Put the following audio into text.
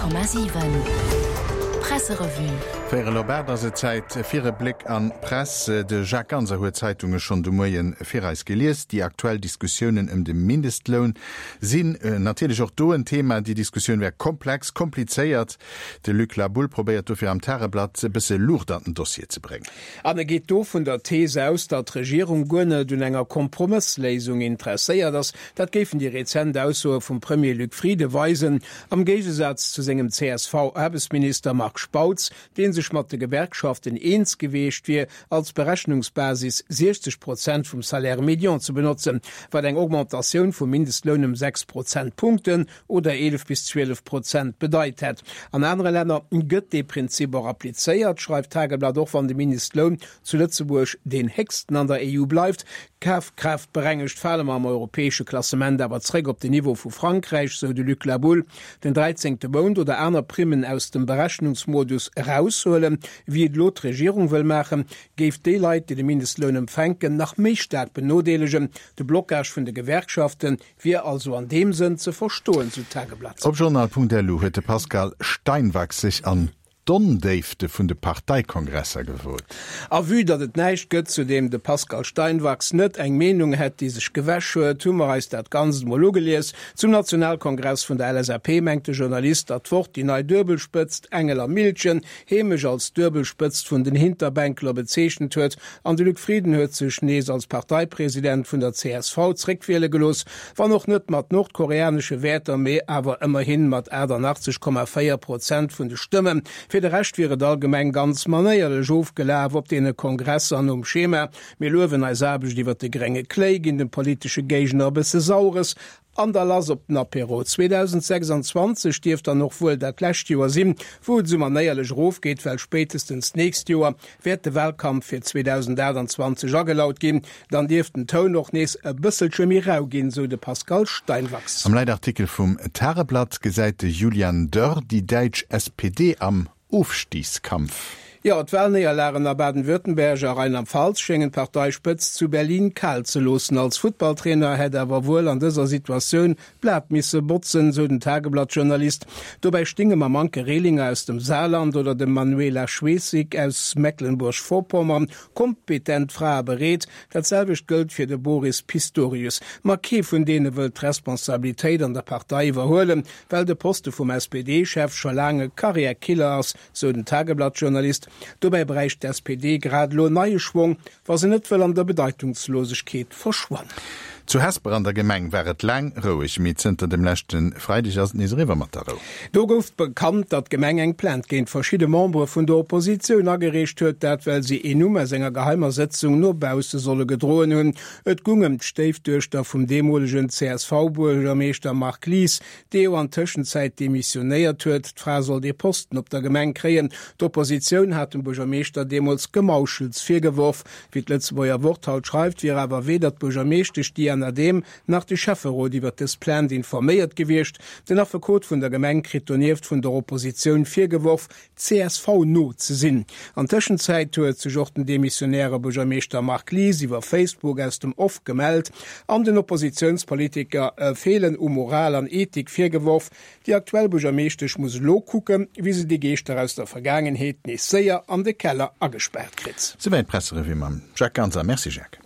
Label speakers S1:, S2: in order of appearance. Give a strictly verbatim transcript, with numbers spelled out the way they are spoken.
S1: Honnert Komma siwen Presserevue.
S2: Véierel op aacht ass et Zäit fir e Bléck an d'Press. De Jacques Ganser huet d'Zeitunge schonn de Moie fir eis gelies. Déi aktuell Diskussiounen ëm de Mindestloun sinn natierlech och do en Thema. Déi Diskussioun wär komplex, komplizéiert. De Luc La Boule probéiert dofir am Tageblatt e bësse Luucht an den Dossier ze bréngen.
S3: An e geet do vun der Thees aus, datt d'Regierung guer net un enger Kompromëssléisung interesséiert ass. Dat géifen déi rezent Aussoe vum Premier Luc Frieden weisen, am Géigesaz zu sengem C S V-Aarbechtsminister Marc Spautz, dee sech mat de Gewerkschaften eens gewiescht wier, als Berechnungsbasis siechzeg Prozent vum Salaire médian ze benotzen, wat eng Augmentatioun vum Mindestloun ëm sechs Prozentpunkten oder eelef bis zwielef Prozent bedeit hätt. An anere Länner gëtt dee Prinzip och applizéiert, schreift d'Tageblatt, och wann de Mindestloun zu Lëtzebuerg deen héchsten an der E U bleift. Kafkraaftberengegt fale mer am europäesche Klassement awer zréck op den Niveau vu Frankräich, sou de Luc La Boule. Den dräizéngte Mount oder aner Primmen aus dem Berechnungsmodus eraushuelen, wéi et elo d'Regierung wëll maachen, géif déi Leit, déi de Mindestloun empfänken, nach méi staark benodeelegen. De Blocage vun de Gewerkschafte wier also an deem Sënn ze verstoen, sou d'Tageblatt.
S2: Op Journal Punkt L U huet de Pascal Steinwachs sech an d'Ondéifte vun de Parteikongresser gewot.
S3: A vue datt et näischt gëtt, zu deem de Pascal Steinwachs net eng Meenung hätt, déi sech gewäsch huet, hu mer eis dat Ganzt emol ugelies. Zum Nationalkongress vun der L S A P mengt de Journalist, datt d'Wort déi nei Duebelspëtzt Engel a Miltgen heemesch als Duebelspëtzt vun den Hinterbänkler bezeechent huet. An de Luc Frieden huet sech nees als Parteipresident vun der C S V zréckwiele gelooss, wann och net mat nordkoreanesche Wäerter, mee awer ëmmerhi mat aachtannachtzeg Komma véier Prozent vun de Stëmmen. Fir de Rescht wier et allgemeng ganz manéierlech ofgelaf op deene Kongresser nom Schema: Mir luewen eis Aarbecht iwwer de grénge Kléi, ginn dem politesche Géigner e bësse Saures an da lass op den Apéro. zweedausendsechsanzwanzeg dierft dann och wuel dat lescht Joer sinn, wou et esou manéierlech erofgeet, well spéitestens d'nächst Joer wäert de Wahlkampf fir zweedausendaachtanzwanzeg agelaut ginn. Dann dierft den Toun och nees e bësselche méi rau ginn, sou de Pascal Steinwachs.
S2: Am Leitartikel vum Tageblatt gesäit de Julian Dörr déi däitsch S P D am Ofstigskampf.
S3: Jo, d'Wahlnéierlagen a Baden-Württemberg a Rheinland-Pfalz schéngen d'Parteispëtzt zu Berlin kal ze loossen. Als Futtballtrainer hätt awer wuel an dëser Situatioun d'Blat misse botzen, sou den Tageblatt-Journalist. Dobäi stinge mam Anke Rehlinger aus dem Saarland oder dem Manuela Schwesig aus Mecklenburg-Vorpommern kompetent Frae bereet. Dat selwecht gëllt fir de Boris Pistorius. Ma kee vun deene wëllt d'Responsabilitéit an der Partei iwwerhuelen, well de Poste vum S P D-Chef scho laang e Karriärkiller ass, sou den Tageblatt-Journalist. Dobäi bräicht d'S P D grad elo neie Schwong, wa se net wëll an der Bedeitungslosegkeet verschwannen.
S2: Zu Hesper an der Gemeng war et laang roueg, mee zënter dem leschte Freideg ass et nees eriwwer mat der Rou.
S3: Do gouf bekannt, datt d'Gemeng eng Plainte géint verschidde Membere vun der Oppositioun agereecht huet, dat well si een Numm aus enger geheimer Sëtzung no bausse solle gedroen hunn. Et goung ëm d'Stéifduechter vum deemolegen C S V-Buergermeeschter Marc Lies, dee jo an Tëschenzäit demissionéiert huet. D'Fra soll dee Posten op der Gemeng kréien. D'Oppositioun hat dem Buergermeeschter deemools Gemauschels virgeworf. Wéi d'Lëtzebuerger Wort haut schreift, wier awer weder d'Buergermeeschtesch Diana Adehm nach de Schäfferot iwwer dës Plainte informéiert gewiescht. Den Affekot vun der Gemeng kritt donieft vun der Oppositioun virgeworf, C S V-no ze sinn. An Tëschenzäit huet sech och den demissionäre Buergermeeschter Marc Lies iwwer Facebook aus dem Off gemellt an den Oppositiounspolitiker e Feelen u Moral an Ethik virgeworf. Déi aktuell Buergermeeschtesch muss elo kucken, wéi se déi Geeschter aus der Vergaangenheet nees séier an de Keller agespaart kritt.
S2: Souwäit d'Presserevue mam Jacques Ganser. Merci Jacques.